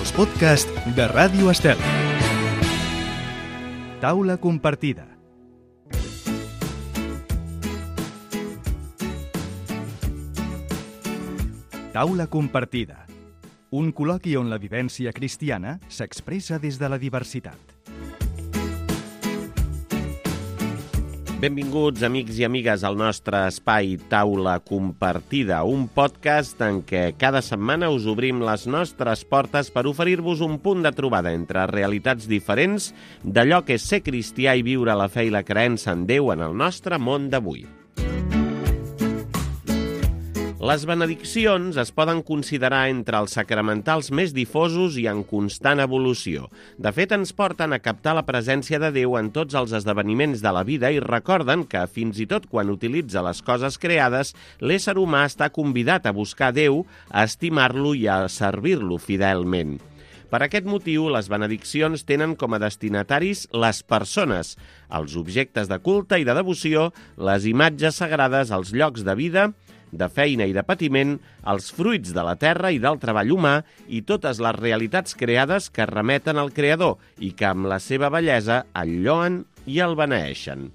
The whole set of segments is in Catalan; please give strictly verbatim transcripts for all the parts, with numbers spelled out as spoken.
els podcasts de Ràdio Estel. Taula compartida. Taula compartida. Un col·loqui on la vivència cristiana s'expressa des de la diversitat. Benvinguts, amics i amigues, al nostre espai Taula Compartida, un podcast en què cada setmana us obrim les nostres portes per oferir-vos un punt de trobada entre realitats diferents d'allò que és ser cristià i viure la fe i la creença en Déu en el nostre món d'avui. Les benediccions es poden considerar entre els sacramentals més difosos i en constant evolució. De fet, ens porten a captar la presència de Déu en tots els esdeveniments de la vida i recorden que, fins i tot quan utilitza les coses creades, l'ésser humà està convidat a buscar Déu, a estimar-lo i a servir-lo fidelment. Per aquest motiu, les benediccions tenen com a destinataris les persones, els objectes de culte i de devoció, les imatges sagrades, els llocs de vida, de feina i de patiment, els fruits de la terra i del treball humà i totes les realitats creades que remeten al Creador i que amb la seva bellesa el lloen i el beneeixen.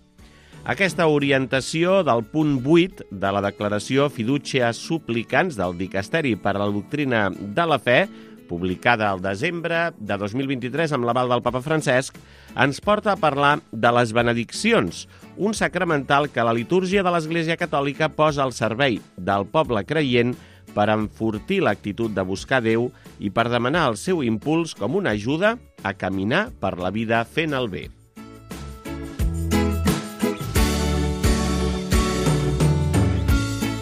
Aquesta orientació del punt vuit de la declaració Fiducia Supplicans del Dicasteri per a la Doctrina de la Fe, publicada al desembre de dos mil vint-i-tres amb l'aval del Papa Francesc, ens porta a parlar de les benediccions, un sacramental que la litúrgia de l'Església Catòlica posa al servei del poble creient per enfortir l'actitud de buscar Déu i per demanar el seu impuls com una ajuda a caminar per la vida fent el bé.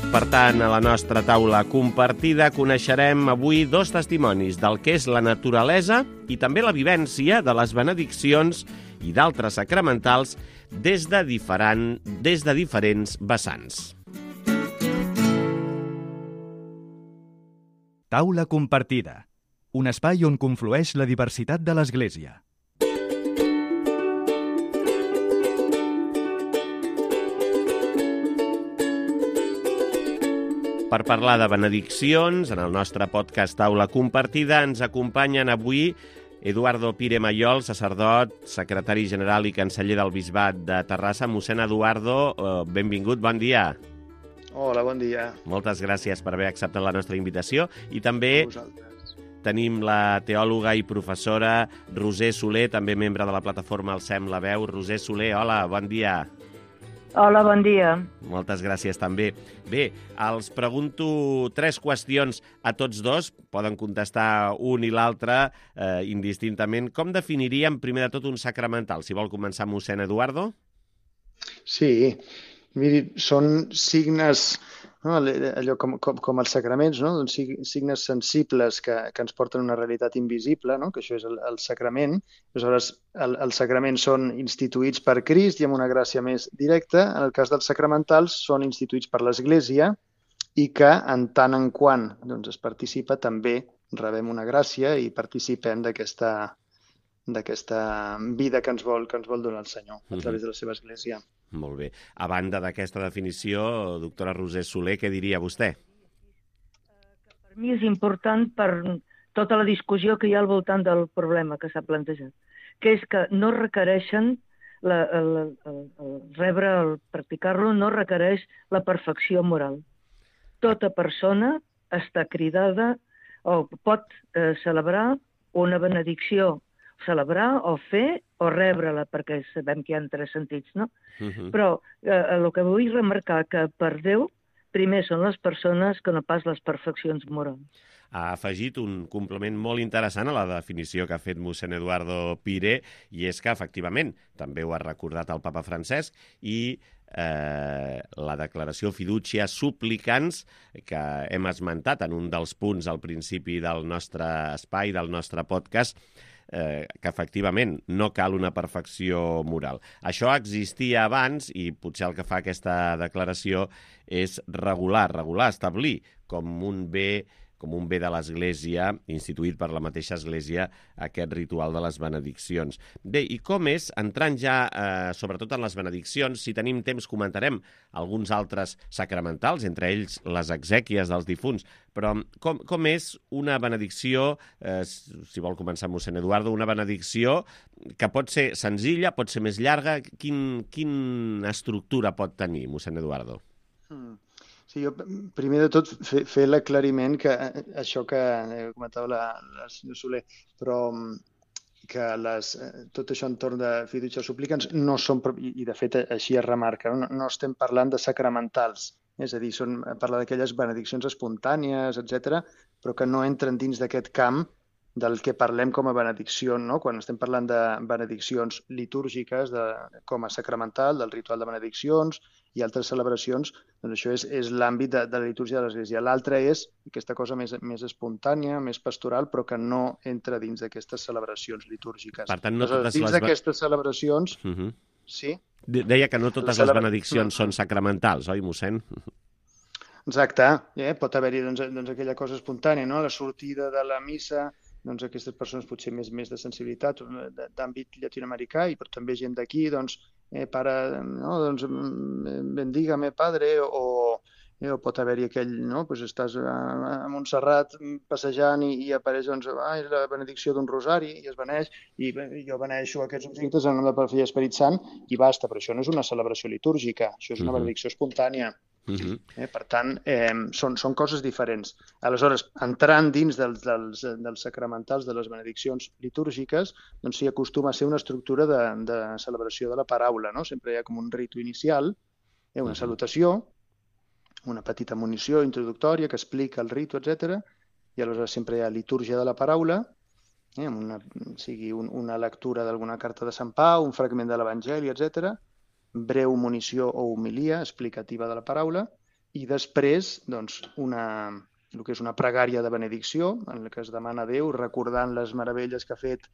Per tant, a la nostra taula compartida coneixerem avui dos testimonis del que és la naturalesa i també la vivència de les benediccions i d'altres sacramentals des de, diferent, des de diferents vessants. Taula compartida. Un espai on conflueix la diversitat de l'Església. Per parlar de benediccions, en el nostre podcast Taula Compartida ens acompanyen avui Eduardo Pire Mayol, sacerdot, secretari general i canceller del Bisbat de Terrassa. Mossèn Eduardo, benvingut, bon dia. Hola, bon dia. Moltes gràcies per haver acceptat la nostra invitació. I també tenim la teòloga i professora Roser Soler, també membre de la plataforma Alcem la Veu. Roser Soler, hola, bon dia. Hola, bon dia. Moltes gràcies també. Bé, els pregunto tres qüestions a tots dos, poden contestar un i l'altre eh, indistintament. Com definiríem primer de tot un sacramental? Si vol començar, mossèn Eduardo? Sí, miri, són signes, no, allò com, com, com els sacraments, no? Doncs signes sensibles que, que ens porten una realitat invisible, no? Que això és el, el sacrament. Aleshores, el, els sacraments són instituïts per Crist i amb una gràcia més directa. En el cas dels sacramentals, són instituïts per l'Església i que, en tant en quant doncs, es participa, també rebem una gràcia i participem d'aquesta d'aquesta vida que ens vol que ens vol donar el Senyor a través de la seva Església. Molt bé. A banda d'aquesta definició, doctora Roser Soler, què diria vostè? Per mi és important per tota la discussió que hi ha al voltant del problema que s'ha plantejat, que és que no requereixen, la, el, el, el rebre, el practicar-lo, no requereix la perfecció moral. Tota persona està cridada o pot eh, celebrar una benedicció, celebrar o fer o rebre-la, perquè sabem que hi ha tres sentits, no? Uh-huh. Però eh, el que vull remarcar que per Déu primer són les persones que no pas les perfeccions morals. Ha afegit un complement molt interessant a la definició que ha fet mossèn Eduardo Pire, i és que, efectivament, també ho ha recordat el Papa Francesc, i eh, la declaració Fiducia Supplicans, que hem esmentat en un dels punts al principi del nostre espai, del nostre podcast, eh, que efectivament no cal una perfecció moral. Això existia abans i potser el que fa aquesta declaració és regular, regular, establir com un bé com un bé de l'Església, instituït per la mateixa Església, aquest ritual de les benediccions. Bé, i com és, entrant ja eh, sobretot en les benediccions, si tenim temps comentarem alguns altres sacramentals, entre ells les exèquies dels difunts, però com, com és una benedicció, eh, si vol començar mossèn Eduardo, una benedicció que pot ser senzilla, pot ser més llarga, quin, quina estructura pot tenir, mossèn Eduardo? Mm. Sí, jo, primer de tot, fer, fer l'aclariment que això que comentava la, la senyora Soler, però que les, tot això entorn de fiducia suplicants no són, i de fet així es remarca, no, no estem parlant de sacramentals, és a dir, són parlar d'aquelles benediccions espontànies, etcètera, però que no entren dins d'aquest camp del que parlem com a benedicció, no? Quan estem parlant de benediccions litúrgiques, de, com a sacramental, del ritual de benediccions i altres celebracions, doncs això és, és l'àmbit de, de la litúrgia de l'Església. L'altre és aquesta cosa més, més espontània, més pastoral, però que no entra dins d'aquestes celebracions litúrgiques. Per tant, no Aleshores, totes dins les... d'aquestes celebracions... Uh -huh. Sí? Deia que no totes les benediccions són sacramentals, oi, mossèn? Exacte. Eh? Pot haver-hi doncs, doncs, aquella cosa espontània, no? La sortida de la missa, doncs aquestes persones potser més, més de sensibilitat d'àmbit llatinoamericà, i però també gent d'aquí, doncs, eh, pare, no? Doncs, bendígame, padre, o, eh, o pot haver-hi aquell, no? Pues estàs a, a Montserrat passejant i, i apareix, doncs, ah, és la benedicció d'un rosari, i es beneix, i jo beneixo aquests objectes en nom del Pare, Fill i Esperit Sant, i basta, però això no és una celebració litúrgica, això és una benedicció espontània. Uh-huh. eh, per tant, eh, són, són coses diferents. Aleshores, entrant dins dels, dels, dels sacramentals de les benediccions litúrgiques, doncs s'hi acostuma a ser una estructura de, de celebració de la paraula, no? Sempre hi ha com un ritu inicial, eh, una salutació, una petita munició introductòria que explica el ritu, etcètera, i aleshores sempre hi ha litúrgia de la paraula, eh, amb una, sigui un, una lectura d'alguna carta de Sant Pau, un fragment de l'Evangeli, etcètera, breu munició o homilia explicativa de la paraula, i després doncs, una, el que és una pregària de benedicció, en la que es demana a Déu, recordant les meravelles que ha fet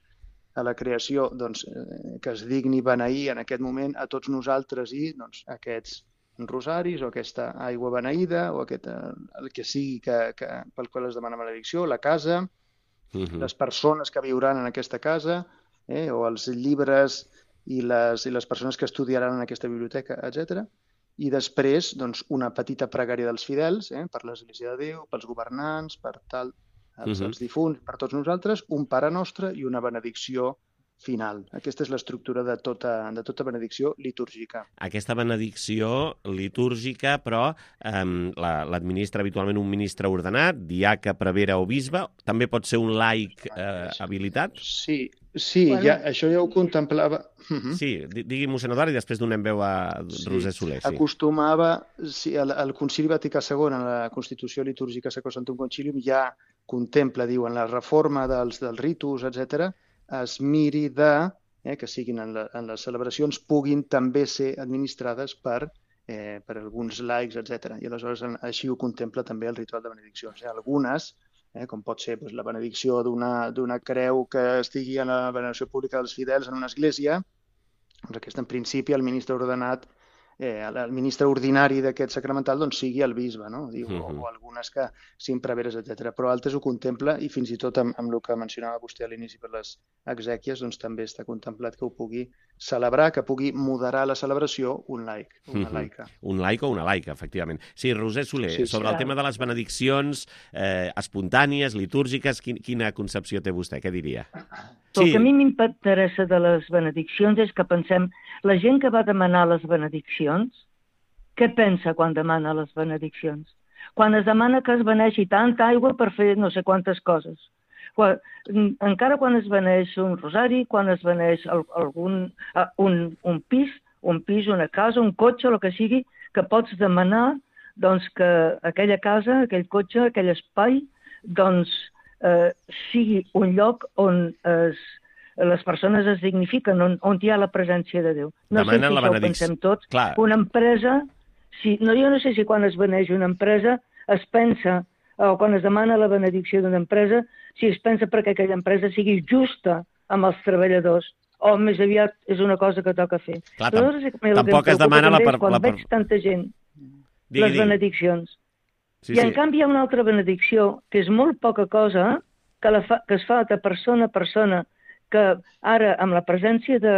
a la creació, doncs, eh, que es digni beneir en aquest moment a tots nosaltres i doncs, aquests rosaris o aquesta aigua beneïda o aquest, el que sigui que, que, pel qual es demana benedicció, la casa, uh-huh. les persones que viuran en aquesta casa, eh, o els llibres i les, i les persones que estudiaran en aquesta biblioteca, etcètera. I després, doncs, una petita pregària dels fidels, eh, per l'Església de Déu, pels governants, per tal, els, uh-huh. els difunts, per tots nosaltres, un Pare Nostre i una benedicció final. Aquesta és l'estructura de tota, de tota benedicció litúrgica. Aquesta benedicció litúrgica, però, eh, l'administra habitualment un ministre ordenat, diaca, prevere o bisbe. També pot ser un laic eh, habilitat? Sí, sí, bueno. ja, això ja ho contemplava. Uh-huh. Sí, digui mossèn Eduard i després donem veu a Roser Soler. Sí. Acostumava, sí, el, el Concili Vaticà segon, en la Constitució Litúrgica Sacro Sanctum Concilium, ja contempla, diu, en la reforma dels, dels ritus, etcètera, es miri de, eh, que siguin en, la, en les celebracions, puguin també ser administrades per, eh, per alguns laics, etcètera. I aleshores així ho contempla també el ritual de benediccions. Eh? Algunes, eh, com pot ser doncs, la benedicció d'una creu que estigui en la veneració pública dels fidels en una església, doncs aquesta en principi el ministre ordenat, eh, el ministre ordinari d'aquest sacramental doncs, sigui el bisbe, no? Diu, uh-huh. o, o algunes que siguin preveres, etcètera. Però altres ho contempla i fins i tot amb, amb el que mencionava vostè a l'inici per les exèquies, doncs també està contemplat que ho pugui celebrar, que pugui moderar la celebració un laic, una uh-huh. laica. Un laic o una laica, efectivament. Sí, Roser Soler, sí, sobre sí, el tema de les benediccions eh, espontànies, litúrgiques, quin, quina concepció té vostè? Què diria? Sí. El que a mi m'interessa de les benediccions és que pensem, la gent que va demanar les benediccions, què pensa quan demana les benediccions? Quan es demana que es beneixi tanta aigua per fer no sé quantes coses. Quan, encara quan es beneix un rosari, quan es beneix algun, un, un pis, un pis, una casa, un cotxe, el que sigui, que pots demanar doncs, que aquella casa, aquell cotxe, aquell espai, doncs, eh, sigui un lloc on es, les persones es dignifiquen, on, on hi ha la presència de Déu. No Demanen sé si la això ho pensem tots. Clar. Una empresa, si, no, jo no sé si quan es beneix una empresa es pensa, o quan es demana la benedicció d'una empresa, si es pensa perquè aquella empresa sigui justa amb els treballadors, o més aviat és una cosa que toca fer. Clar, tam tampoc es demana la... Per, quan la per... veig tanta gent, digui, les benediccions. Sí, I en sí. canvi hi ha una altra benedicció, que és molt poca cosa, que, la fa, que es fa de persona a persona, que ara, amb la presència de,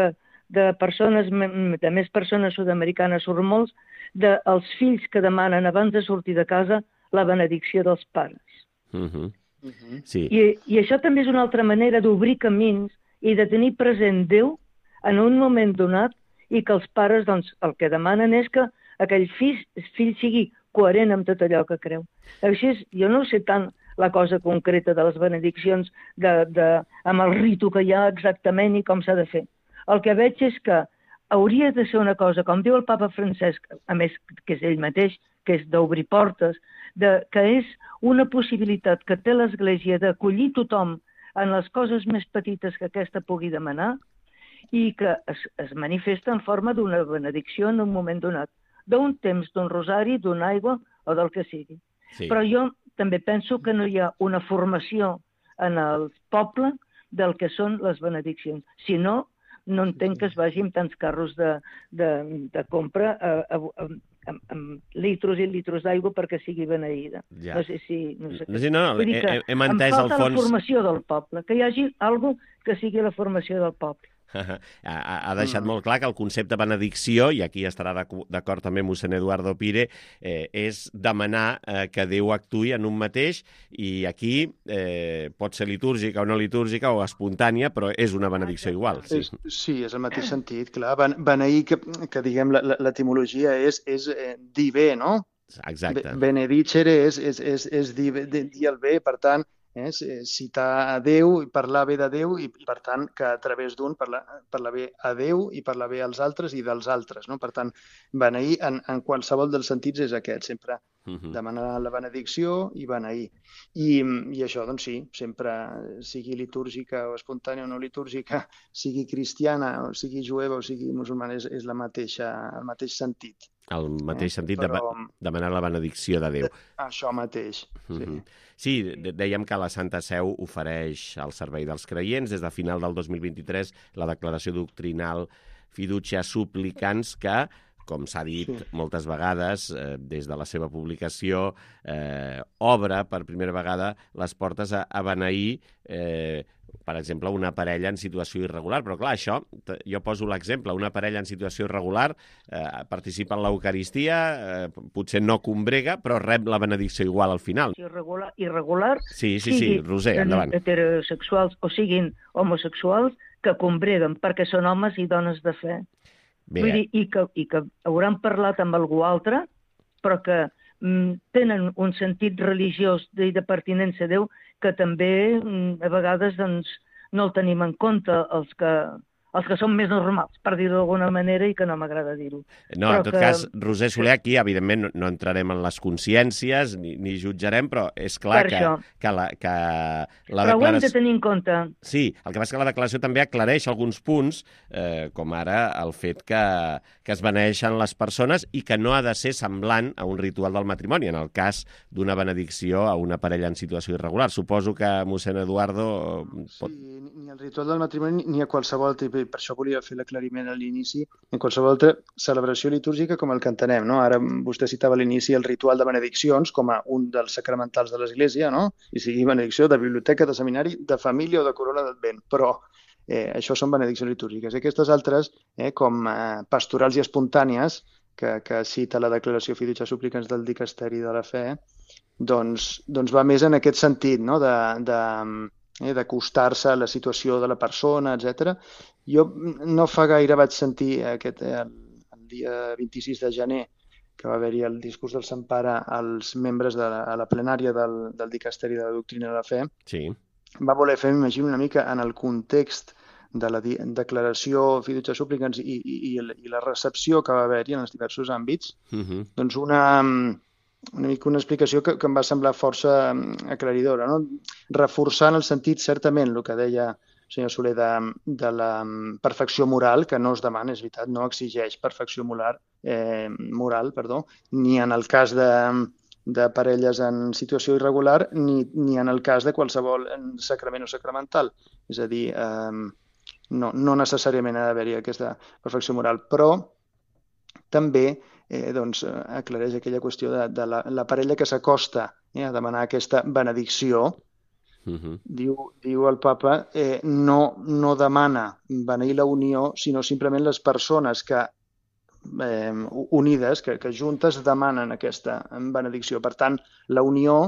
de persones, de més persones sud-americanes, surt molts, dels fills que demanen abans de sortir de casa la benedicció dels pares. Uh -huh. Uh -huh. Sí. I, I això també és una altra manera d'obrir camins i de tenir present Déu en un moment donat i que els pares doncs, el que demanen és que aquell fill, fill sigui coherent amb tot allò que creu. Així és, jo no sé tant la cosa concreta de les benediccions de, de, amb el ritu que hi ha exactament i com s'ha de fer. El que veig és que hauria de ser una cosa, com diu el papa Francesc, a més que és ell mateix, que és d'obrir portes, de, que és una possibilitat que té l'Església d'acollir tothom en les coses més petites que aquesta pugui demanar i que es, es manifesta en forma d'una benedicció en un moment donat, d'un temps, d'un rosari, d'una aigua o del que sigui. Sí. Però jo també penso que no hi ha una formació en el poble del que són les benediccions. Si no, no entenc que es vagi amb tants carros de, de, de compra a, a, a, amb, amb litros i litros d'aigua perquè sigui beneïda. Ja. No sé si... No sé Sí, no, no, Vull dir que hem, hem entès em al falta fons... la formació del poble, que hi hagi alguna que sigui la formació del poble. Ha, ha deixat mm. molt clar que el concepte benedicció, i aquí estarà d'acord també mossèn Eduardo Pire, eh, és demanar eh, que Déu actuï en un mateix, i aquí eh, pot ser litúrgica o no litúrgica o espontània, però és una benedicció igual. Sí, és, sí, és el mateix sentit, clar. Beneir, que, que diguem, l'etimologia és, és eh, dir bé, no? Exacte. Benedicere és, és, és, és dir, dir el bé, per tant, Eh, citar a Déu i parlar bé de Déu i, per tant, que a través d'un parlar, parlar bé a Déu i parlar bé als altres i dels altres. No? Per tant, beneir en, en qualsevol dels sentits és aquest, sempre uh -huh. demanar la benedicció i beneir. I, i això, doncs sí, sempre sigui litúrgica o espontània o no litúrgica, sigui cristiana o sigui jueva o sigui musulmana, és, és la mateixa, el mateix sentit. El mateix eh? sentit Però... de demanar la benedicció de Déu. Això mateix, sí. Uh-huh. Sí, dèiem que la Santa Seu ofereix al servei dels creients des de final del dos mil vint-i-tres la declaració doctrinal Fiducia Supplicans, que, com s'ha dit sí. moltes vegades, eh, des de la seva publicació, eh, obre per primera vegada les portes a, a beneir, eh, per exemple, una parella en situació irregular. Però, clar, això, jo poso l'exemple, una parella en situació irregular eh, participa en l'Eucaristia, eh, potser no combrega, però rep la benedicció igual al final. Irregular, irregular sí, sí, sí, Roser, endavant. Heterosexuals o siguin homosexuals que combreguen perquè són homes i dones de fe. Bé. Vull dir, i que, i que hauran parlat amb algú altre, però que mm, tenen un sentit religiós i de pertinença a Déu que també mm, a vegades doncs, no el tenim en compte els que, els que són més normals, per dir-ho d'alguna manera, i que no m'agrada dir-ho. No, però en tot que... cas, Roser Soler, aquí evidentment no, no entrarem en les consciències ni, ni jutjarem, però és clar que, que la, que la però declaració... ho hem de tenir en compte. Sí, el que passa és que la declaració també aclareix alguns punts, eh, com ara el fet que, que es beneixen les persones i que no ha de ser semblant a un ritual del matrimoni, en el cas d'una benedicció a una parella en situació irregular. Suposo que mossèn Eduardo... Pot... Sí, ni al ritual del matrimoni ni a qualsevol tipus, per això volia fer l'aclariment a l'inici, en qualsevol altra celebració litúrgica com el que entenem, no? Ara vostè citava a l'inici el ritual de benediccions com a un dels sacramentals de l'Església, no? I sigui benedicció de biblioteca, de seminari, de família o de corona d'Advent, però eh, això són benediccions litúrgiques. I aquestes altres, eh, com eh, pastorals i espontànies, que, que cita la declaració Fiducia Supplicans del Dicasteri de la Fe, doncs, doncs va més en aquest sentit, no? de, de, eh, d'acostar-se a la situació de la persona, etcètera. Jo no fa gaire vaig sentir aquest, el, el dia vint-i-sis de gener que va haver-hi el discurs del Sant Pare als membres de la, a la plenària del, del Dicasteri de la Doctrina de la Fe. Sí. Va voler fer, m'imagino, una mica en el context de la declaració Fiducia Supplicans i, i, i la recepció que va haver-hi en els diversos àmbits, uh-huh. doncs una, una mica una explicació que, que em va semblar força aclaridora, no? Reforçar en el sentit, certament, el que deia el senyor Soler, de, de la perfecció moral, que no es demana, és veritat, no exigeix perfecció moral, eh, moral perdó, ni en el cas de, de parelles en situació irregular, ni, ni en el cas de qualsevol sacrament o sacramental. És a dir, eh, no, no necessàriament ha d'haver-hi aquesta perfecció moral, però també eh, doncs, aclareix aquella qüestió de, de la, la parella que s'acosta eh, a demanar aquesta benedicció. Uh-huh. Diu, diu el papa, eh, no, no demana beneir la unió, sinó simplement les persones que eh, unides, que, que juntes demanen aquesta benedicció. Per tant, la unió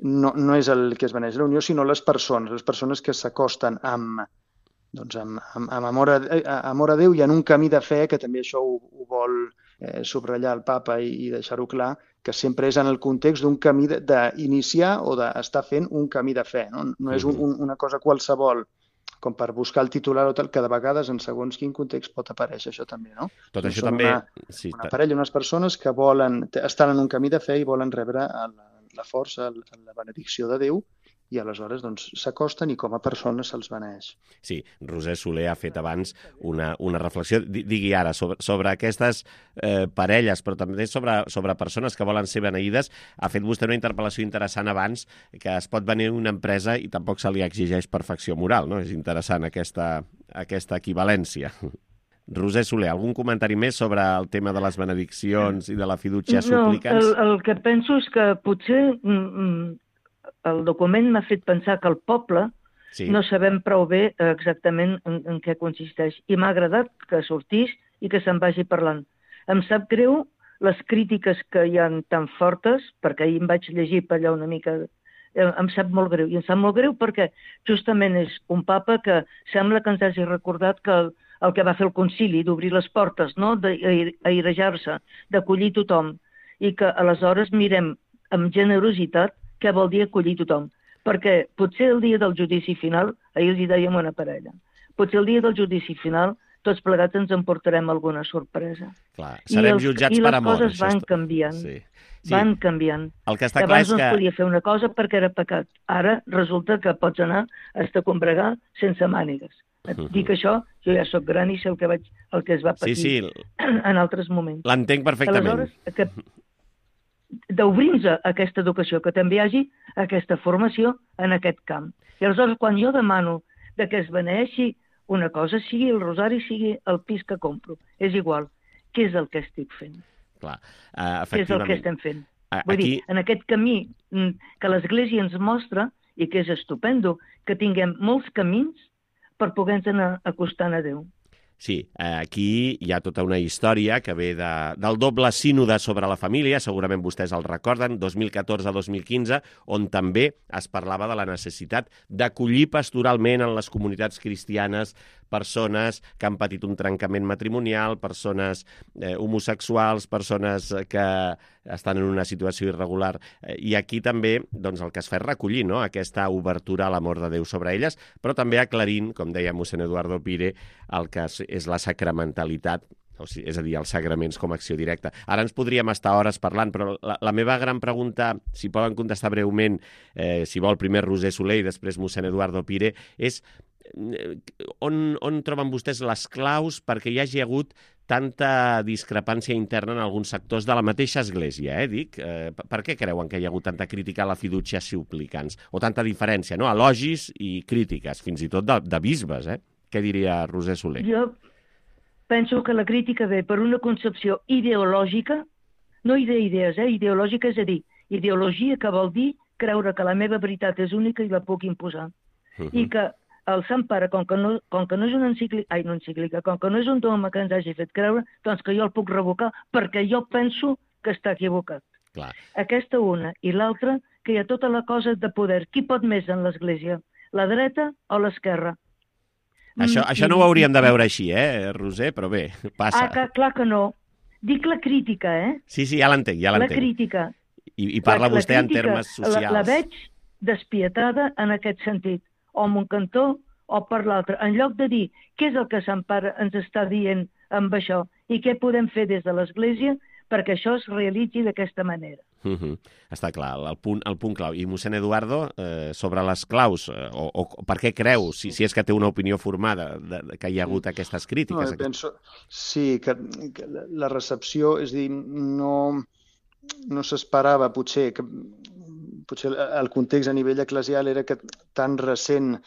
no, no és el que es beneix la unió, sinó les persones, les persones que s'acosten amb, doncs amb, amb, amb amor, a, amor a Déu i en un camí de fe, que també això ho, ho vol eh, subratllar el papa i, i deixar-ho clar, que sempre és en el context d'un camí d'iniciar o d'estar fent un camí de fe. No, no és un, un, una cosa qualsevol, com per buscar el titular o tal, que de vegades en segons quin context pot aparèixer això també, no? Tot no això també... Una, sí, una parella, unes persones que volen, estan en un camí de fe i volen rebre la, la força, la benedicció de Déu, i aleshores doncs, s'acosten i com a persones se'ls beneeix. Sí, Roser Soler ha fet abans una, una reflexió, digui ara, sobre, sobre aquestes eh, parelles, però també sobre, sobre persones que volen ser beneïdes. Ha fet vostè una interpel·lació interessant abans, que es pot beneir una empresa i tampoc se li exigeix perfecció moral, no? És interessant aquesta, aquesta equivalència. Roser Soler, algun comentari més sobre el tema de les benediccions i de la fiducia supplicans? No, el, el que penso és que potser... Mm, el document m'ha fet pensar que el poble sí. no sabem prou bé exactament en, en què consisteix. I m'ha agradat que sortís i que se'n vagi parlant. Em sap greu les crítiques que hi ha tan fortes, perquè ahir em vaig llegir per allà una mica... Em sap molt greu. I em sap molt greu perquè justament és un papa que sembla que ens hagi recordat que el, el que va fer el concili, d'obrir les portes, no? d'airejar-se, d'acollir tothom. I que aleshores mirem amb generositat què vol dir acollir tothom. Perquè potser el dia del judici final, ahir els hi dèiem una parella, potser el dia del judici final tots plegats ens emportarem alguna sorpresa. Clar, serem els, jutjats per amor. I les coses van canviant. Sí. Sí. Van canviant. El que està clar és que... Abans no es podia fer una cosa perquè era pecat. Ara resulta que pots anar a combregar sense mànigues. Et uh-huh. dic això, jo ja sóc gran i sé el que, vaig, el que es va patir sí, sí. en altres moments. L'entenc perfectament. Aleshores, que d'obrir-nos a aquesta educació, que també hi hagi aquesta formació en aquest camp. I aleshores, quan jo demano de que es beneeixi una cosa, sigui el rosari, sigui el pis que compro, és igual. Què és el que estic fent? Clar, uh, efectivament. Què és el que estem fent? Uh, Vull aquí... dir, en aquest camí que l'Església ens mostra, i que és estupendo, que tinguem molts camins per poder-nos anar acostant a Déu. Sí, aquí hi ha tota una història que ve de, del doble sínode sobre la família, segurament vostès el recorden, dos mil catorze a dos mil quinze, on també es parlava de la necessitat d'acollir pastoralment en les comunitats cristianes persones que han patit un trencament matrimonial, persones eh, homosexuals, persones que estan en una situació irregular. I aquí també doncs, el que es fa és recollir, no?, aquesta obertura a l'amor de Déu sobre elles, però també aclarint, com deia mossèn Eduardo Pire, el que és la sacramentalitat, o sigui, és a dir, els sagraments com a acció directa. Ara ens podríem estar hores parlant, però la, la meva gran pregunta, si poden contestar breument, eh, si vol primer Roser Soler i després mossèn Eduardo Pire, és on, on troben vostès les claus perquè hi hagi hagut tanta discrepància interna en alguns sectors de la mateixa Església, eh, dic? Eh, per què creuen que hi ha hagut tanta crítica a la fiducia supplicans? O tanta diferència, no?, elogis i crítiques, fins i tot de, de bisbes, eh? Què diria Roser Soler? Jo penso que la crítica ve per una concepció ideològica, no d'idees, eh? ideològica, és a dir, ideologia que vol dir creure que la meva veritat és única i la puc imposar. Uh-huh. I que el Sant Pare, com que no, com que no és una encíclica, ai, no encíclica, com que no és un dogma que ens hagi fet creure, doncs que jo el puc revocar perquè jo penso que està equivocat. Clar. Aquesta una. I l'altra, que hi ha tota la cosa de poder. Qui pot més en l'Església? La dreta o l'esquerra? Això, mm, això no ho hauríem de veure així, eh, Roser, però bé, passa. Ah, que, clar que no. Dic la crítica, eh? Sí, sí, ja l'entenc, ja l'entenc. La crítica. I, i parla la, vostè la crítica, en termes socials. La, la veig despietada en aquest sentit. O amb un cantó o per l'altre. En lloc de dir què és el que Sant Pare ens està dient amb això i què podem fer des de l'Església perquè això es realitzi d'aquesta manera. Uh -huh. Està clar, el punt, el punt clau. I mossèn Eduardo, eh, sobre les claus, eh, o, o per què creu, si, si és que té una opinió formada, de, de, que hi ha hagut aquestes crítiques? No, penso, sí, que, que la recepció, és a dir, no, no s'esperava potser, que potser el context a nivell eclesial era que tan recent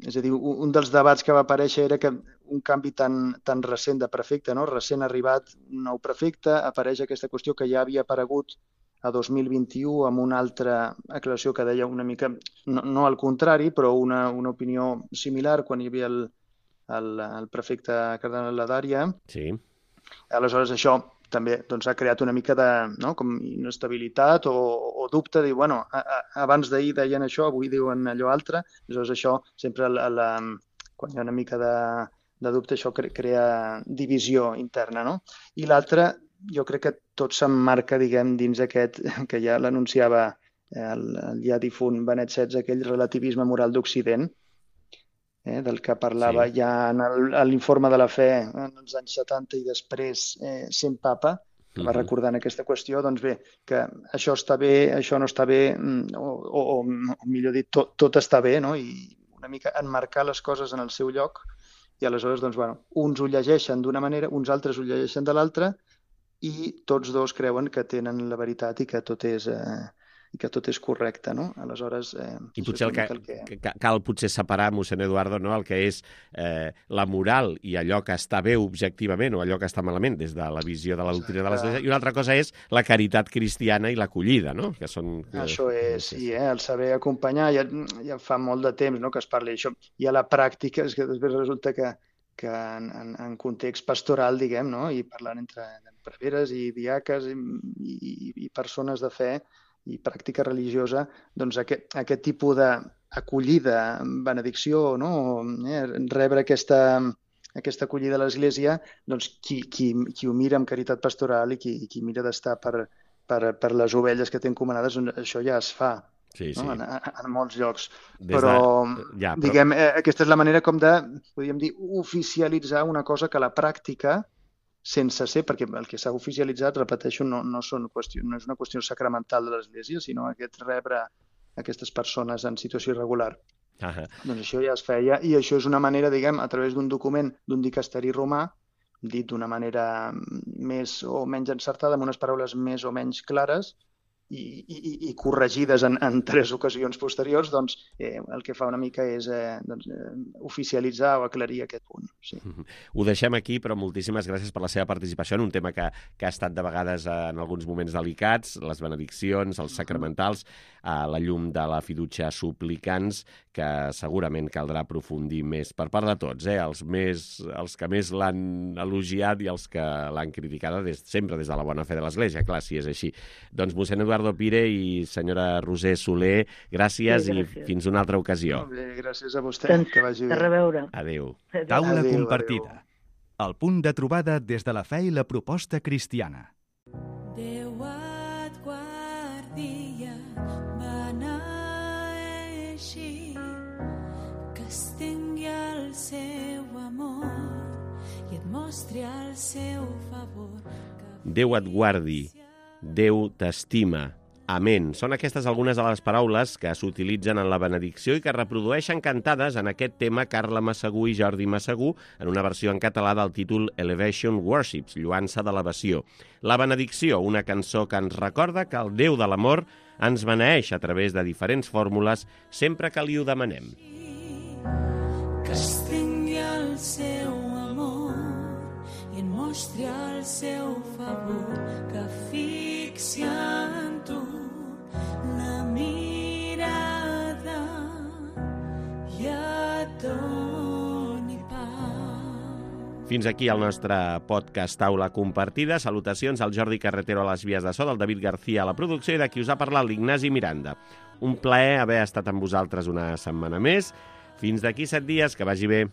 és a dir, un dels debats que va aparèixer era que un canvi tan, tan recent de prefecte, no? Recent arribat un nou prefecte, apareix aquesta qüestió que ja havia aparegut a dos mil vint-i-u amb una altra aclaració que deia una mica, no, no al contrari, però una, una opinió similar quan hi havia el, el, el prefecte cardenal Ladaria. Sí. Aleshores això també doncs, ha creat una mica de no? com inestabilitat o, o dubte, dir, bueno, a, a, abans d'ahir deien això, avui diuen allò altre, aleshores això sempre la, la, quan hi ha una mica de, de dubte això crea divisió interna, no? I l'altre, jo crec que tot s'emmarca, diguem, dins aquest, que ja l'anunciava el, el ja difunt Benet setze, aquell relativisme moral d'Occident, eh, del que parlava sí. ja en l'informe de la fe en els anys setanta i després eh, sent papa, que va recordant aquesta qüestió, doncs bé, que això està bé, això no està bé, o, o, o millor dit, tot, tot està bé, no? I una mica enmarcar les coses en el seu lloc, i aleshores, doncs, bueno, uns ho llegeixen d'una manera, uns altres ho llegeixen de l'altra, i tots dos creuen que tenen la veritat i que tot és... Eh, i que tot és correcte, no? Aleshores... Eh, I potser el que, el que... cal potser separar, mossèn Eduardo, no? el que és eh, la moral i allò que està bé objectivament o allò que està malament des de la visió de la doctrina de l'Església, i una altra cosa és la caritat cristiana i l'acollida, no? Que són... Això és, sí, eh? el saber acompanyar, ja, ja fa molt de temps no? que es parli d'això. I a la pràctica és que després resulta que, que en, en, en context pastoral, diguem, no? I parlant entre preveres i diaques i, i, i persones de fe, i pràctica religiosa, doncs aquest, aquest tipus d'acollida, benedicció, no? eh, rebre aquesta, aquesta acollida a l'Església, doncs qui, qui, qui ho mira amb caritat pastoral i qui, qui mira d'estar per, per, per les ovelles que té encomanades, doncs això ja es fa. Sí, sí. No? En, en molts llocs. Des però, de... ja, però, diguem, eh, aquesta és la manera com de, podríem dir, oficialitzar una cosa que a la pràctica sense ser, perquè el que s'ha oficialitzat, repeteixo, no, no, són qüestió, no és una qüestió sacramental de l'Església, sinó aquest rebre aquestes persones en situació irregular. Uh-huh. Doncs això ja es feia, i això és una manera, diguem, a través d'un document d'un dicasteri romà, dit d'una manera més o menys encertada, amb unes paraules més o menys clares, i, i, i corregides en, en tres ocasions posteriors, doncs eh, el que fa una mica és eh, doncs, eh, oficialitzar o aclarir aquest punt. Sí. Ho deixem aquí, però moltíssimes gràcies per la seva participació en un tema que, que ha estat de vegades en alguns moments delicats, les benediccions, els sacramentals, a la llum de la fiducia suplicants, que segurament caldrà aprofundir més per part de tots, eh? els, més, els que més l'han elogiat i els que l'han criticada des, sempre des de la bona fe de l'Església, clar, si és així. Doncs mossèn Eduardo Pire i senyora Roser Soler, gràcies, sí, gràcies. I fins una altra ocasió. Molt bé, gràcies a vostè, doncs, que vagi bé. A reveure. Adéu. Taula adéu, compartida. Adéu. El punt de trobada des de la fe i la proposta cristiana. Déu et guardi, beneeixi, que es tingui el seu amor i et mostri el seu favor. Déu et guardi, Déu t'estima. Amén. Són aquestes algunes de les paraules que s'utilitzen en la benedicció i que reprodueixen cantades en aquest tema Carla Massagú i Jordi Massagú en una versió en català del títol Elevation Worships, lluança d'elevació. La benedicció, una cançó que ens recorda que el Déu de l'amor ens beneeix a través de diferents fórmules sempre que li ho demanem. Que es tingui el seu amor i en mostri el seu favor, que fixi en tu la mirada i et doni pau. Fins aquí el nostre podcast Taula Compartida. Salutacions al Jordi Carretero a les vies de so, del David García a la producció i de qui us ha parlat l'Ignasi Miranda. Un plaer haver estat amb vosaltres una setmana més. Fins d'aquí set dies, que vagi bé.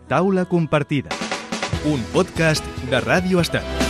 Taula compartida, un podcast de Ràdio Estat.